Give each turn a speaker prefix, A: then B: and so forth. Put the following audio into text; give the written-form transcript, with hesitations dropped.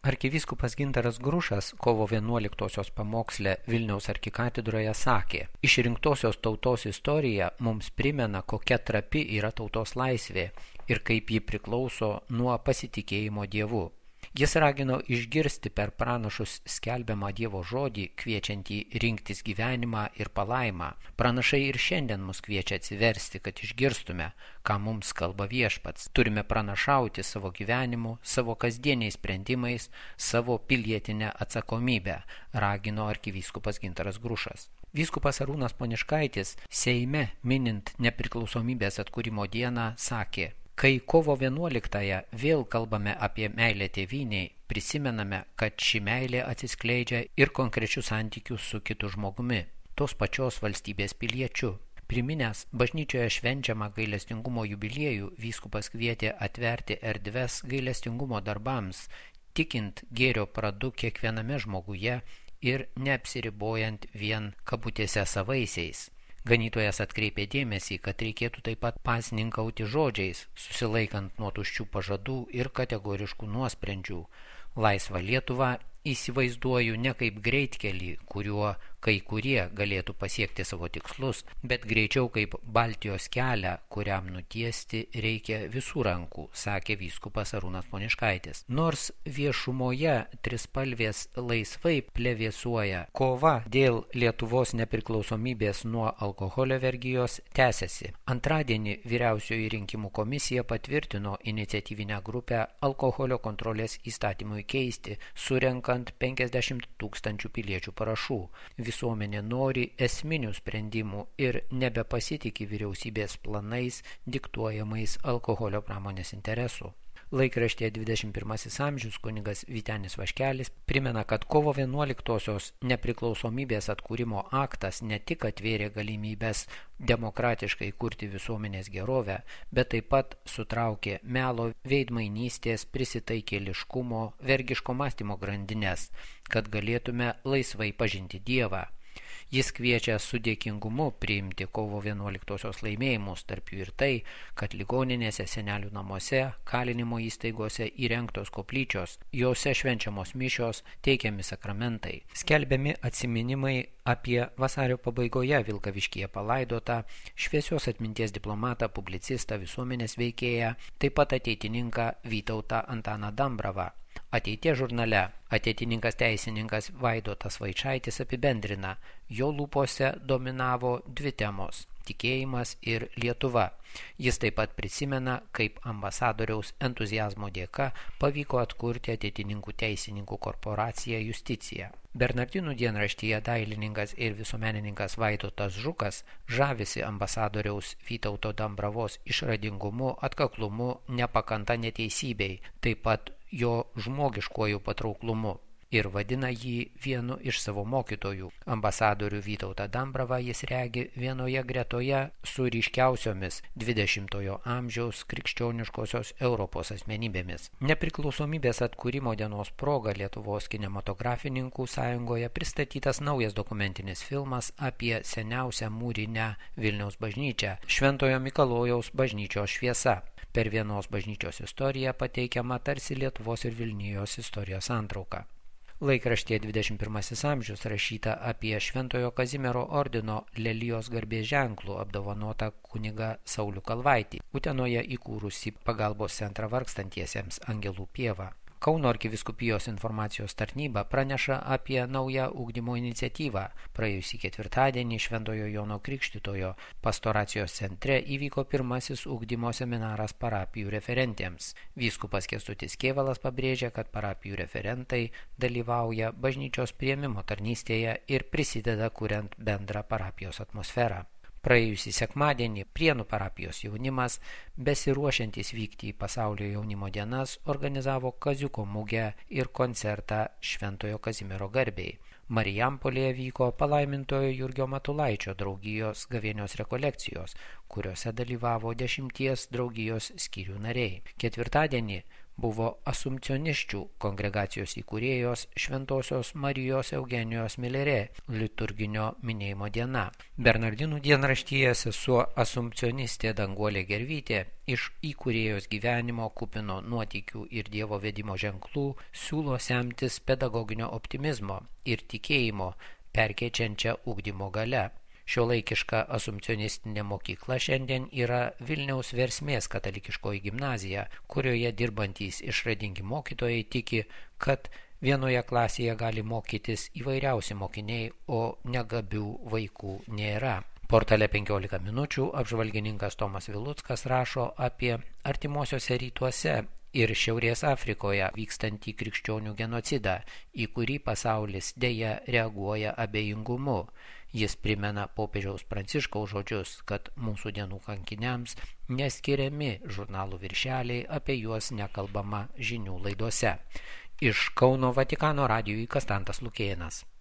A: Arkivyskupas Gintaras Grušas kovo 11-osios pamoksle Vilniaus arkikatedroje sakė: Išrinktosios tautos istorija mums primena, kokia trapi yra tautos laisvė ir kaip ji priklauso nuo pasitikėjimo Dievu. Jis ragino išgirsti per pranašus skelbiamą Dievo žodį, kviečiantį rinktis gyvenimą ir palaimą. Pranašai ir šiandien mus kviečia atsiversti, kad išgirstume, ką mums kalba Viešpats. Turime pranašauti savo gyvenimu, savo kasdieniais sprendimais, savo pilietinę atsakomybę, ragino arkivyskupas Gintaras Grušas. Vyskupas Arūnas Poniškaitis Seime minint nepriklausomybės atkūrimo dieną sakė: Kai kovo 11-ąją vėl kalbame apie meilę tėvynei, prisimename, kad ši meilė atsiskleidžia ir konkrečių santykių su kitu žmogumi, tos pačios valstybės piliečiu. Priminęs bažnyčioje švenčiamą gailestingumo jubiliejų, vyskupas kvietė atverti erdves gailestingumo darbams, tikint gėrio pradu kiekviename žmoguje ir neapsiribojant vien kabutėse savaisiais. Ganytojas atkreipė dėmesį, kad reikėtų taip pat pasninkauti žodžiais, susilaikant nuo tuščių pažadų ir kategoriškų nuosprendžių. Laisvą Lietuvą įsivaizduoju ne kaip greitkelį, kuriuo kai kurie galėtų pasiekti savo tikslus, bet greičiau kaip Baltijos kelią, kuriam nutiesti reikia visų rankų, sakė vyskupas Arūnas Poniškaitis. Nors viešumoje trispalvės laisvai plevėsuoja, kova dėl Lietuvos nepriklausomybės nuo alkoholio vergijos tęsiasi. Antradienį Vyriausioji rinkimų komisija patvirtino iniciatyvinę grupę alkoholio kontrolės įstatymui keisti, surenkant 50 000 piliečių parašų. Visuomenė nori esminių sprendimų ir nebepasitikė vyriausybės planais diktuojamais alkoholio pramonės interesų. Laikraštyje 21 amžius kunigas Vytenis Vaškelis primena, kad kovo 11-osios nepriklausomybės atkūrimo aktas ne tik atvėrė galimybės demokratiškai kurti visuomenės gerovę, bet taip pat sutraukė melo, veidmainystės, prisitaikėliškumo, vergiško mąstymo grandines, kad galėtume laisvai pažinti Dievą. Jis kviečia su dėkingumu priimti kovo 11-osios laimėjimus, tarp jų ir tai, kad ligoninėse, senelių namuose, kalinimo įstaigose įrengtos koplyčios, jose švenčiamos mišios, teikiami sakramentai, skelbiami atsiminimai apie vasario pabaigoje Vilkaviškyje palaidotą šviesios atminties diplomatą, publicistą, visuomenės veikėją, taip pat ateitininką Vytautą Antaną Dambravą. Ateities žurnale ateitininkas teisininkas Vaidotas Vaičaitis apibendrina, jo lūpose dominavo dvi temos – tikėjimas ir Lietuva. Jis taip pat prisimena, kaip ambasadoriaus entuziazmo dėka pavyko atkurti ateitininkų teisininkų korporaciją Justiciją. Bernardinų dienraštyje dailininkas ir visuomenininkas Vaidotas Žukas žavisi ambasadoriaus Vytauto Dambravos išradingumu, atkaklumu, nepakanta neteisybei, taip pat jo žmogiškuoju patrauklumu ir vadina jį vienu iš savo mokytojų. Ambasadorių Vytautą Dambravą jis regi vienoje gretoje su ryškiausiomis 20-ojo amžiaus krikščioniškosios Europos asmenybėmis. Nepriklausomybės atkūrimo dienos proga Lietuvos kinematografininkų sąjungoje pristatytas naujas dokumentinis filmas apie seniausią mūrinę Vilniaus bažnyčią – Šventojo Mikalojaus bažnyčios šviesa. Per vienos bažnyčios istoriją pateikiama tarsi Lietuvos ir Vilnijos istorijos santrauka. Laikraštyje 21 amžius rašyta apie Šventojo Kazimiero ordino Lelijos garbės ženklų apdovanotą kunigą Saulių Kalvaitį, Utenoje įkūrusi pagalbos centrą vargstantiesiems Angelų pievą. Kauno arkivyskupijos informacijos tarnyba praneša apie naują ugdymo iniciatyvą. Praėjusį ketvirtadienį Šventojo Jono Krikštytojo pastoracijos centre įvyko pirmasis ugdymo seminaras parapijų referentėms. Vyskupas Kęstutis Kėvalas pabrėžia, kad parapijų referentai dalyvauja bažnyčios priėmimo tarnystėje ir prisideda kuriant bendrą parapijos atmosferą. Praėjusį sekmadienį Prienų parapijos jaunimas, besiruošiantis vykti į pasaulio jaunimo dienas, organizavo kaziuko mugę ir koncertą Šventojo Kazimiero garbei. Marijampolėje vyko palaimintojo Jurgio Matulaičio draugijos gavėnios rekolekcijos, kuriuose dalyvavo 10 draugijos skyrių nariai. Ketvirtadienį buvo asumpcionisčių kongregacijos įkūrėjos Šventosios Marijos Eugenijos Milerė liturginio minėjimo diena. Bernardinų dienraštyje sesuo asumpcionistė Danguolė Gervytė iš įkūrėjos gyvenimo kupino nuotykių ir Dievo vedimo ženklų siūlo semtis pedagoginio optimizmo ir tikėjimo perkeičiančią ugdymo gale. Šiuolaikiška asumpcionistinė mokykla šiandien yra Vilniaus Versmės katalikiškoji gimnazija, kurioje dirbantys išradingi mokytojai tiki, kad vienoje klasėje gali mokytis įvairiausi mokiniai, o negabių vaikų nėra. Portale 15 minučių apžvalgininkas Tomas Viluckas rašo apie artimuosiuose rytuose ir Šiaurės Afrikoje vykstantį krikščionių genocidą, į kurį pasaulis deja reaguoja abejingumu. Jis primena popiežiaus Pranciškaus žodžius, kad mūsų dienų kankiniams neskiriami žurnalų viršeliai, apie juos nekalbama žinių laidose. Iš Kauno Vatikano radijui Kastantas Lukėnas.